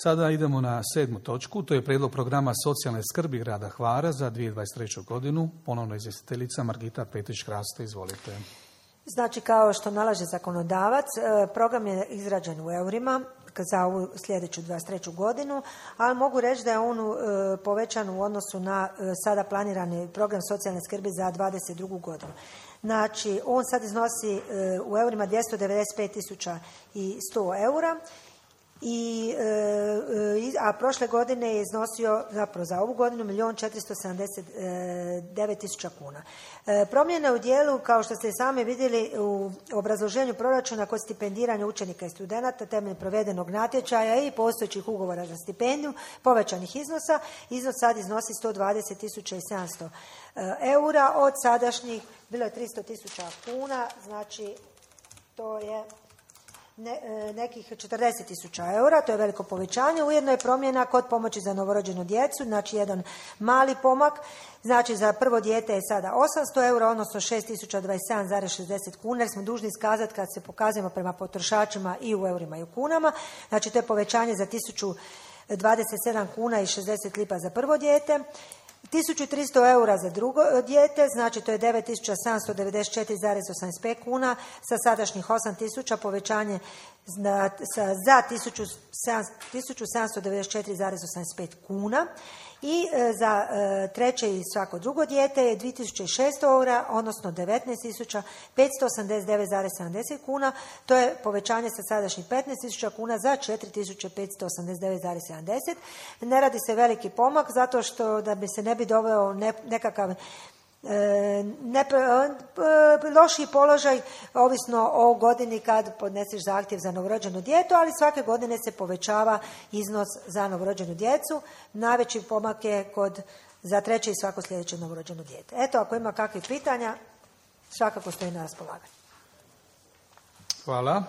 Sada idemo na 7. točku, to je prijedlog programa socijalne skrbi grada Hvara za 2023. godinu. Ponovno izvjestiteljica Margita Petrić-Kraste, izvolite. Znači, kao što nalaže zakonodavac, program je izrađen u eurima za ovu sljedeću 23. godinu, ali mogu reći da je on povećan u odnosu na sada planirani program socijalne skrbi za 2022. godinu. Znači, on sad iznosi u eurima 295.100 eura, a prošle godine je iznosio, zapravo za ovu godinu, 1.479.000 kuna. Promjene u dijelu, kao što ste sami vidjeli u obrazloženju proračuna kod stipendiranja učenika i studenata temeljem provedenog natječaja i postojećih ugovora za stipendiju, povećanih iznosa, iznos sad iznosi 120.700 eura, od sadašnjih bilo je 300.000 kuna, znači to je nekih 40.000 eura, to je veliko povećanje. Ujedno je promjena kod pomoći za novorođenu djecu, znači jedan mali pomak, znači za prvo dijete je sada 800 eura, odnosno 6.027,60 kuna, jer smo dužni iskazati kad se pokazujemo prema potrošačima i u eurima i u kunama, znači to je povećanje za 1.027 kuna i 60 lipa za prvo dijete. 1.300 eura za drugo dijete, znači to je 9.794,85 kuna, sa sadašnjih 8.000, povećanje za 1.794,85 kuna. I za treće i svako drugo dijete je 2.600 eura, odnosno 19.589,70 kuna. To je povećanje sa sadašnjih 15.000 kuna za 4.589,70. Ne radi se veliki pomak, zato što da bi se ne bi doveo nekakav lošiji položaj, ovisno o godini kad podneseš zahtjev za novorođenu djecu, ali svake godine se povećava iznos za novorođenu djecu. Najveći pomak je za treće i svako sljedeće novorođeno dijete. Eto, ako ima kakvih pitanja, svakako stoji na raspolaganju. Hvala.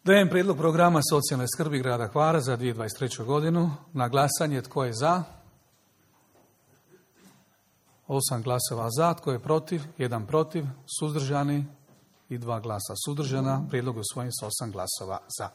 Dajem prijedlog programa socijalne skrbi grada Hvara za 2023. godinu. Na glasanje tko je za? 8 glasova za, tko je protiv? 1 protiv, suzdržani i 2 glasa suzdržana. Prijedlog je usvojen s 8 glasova za.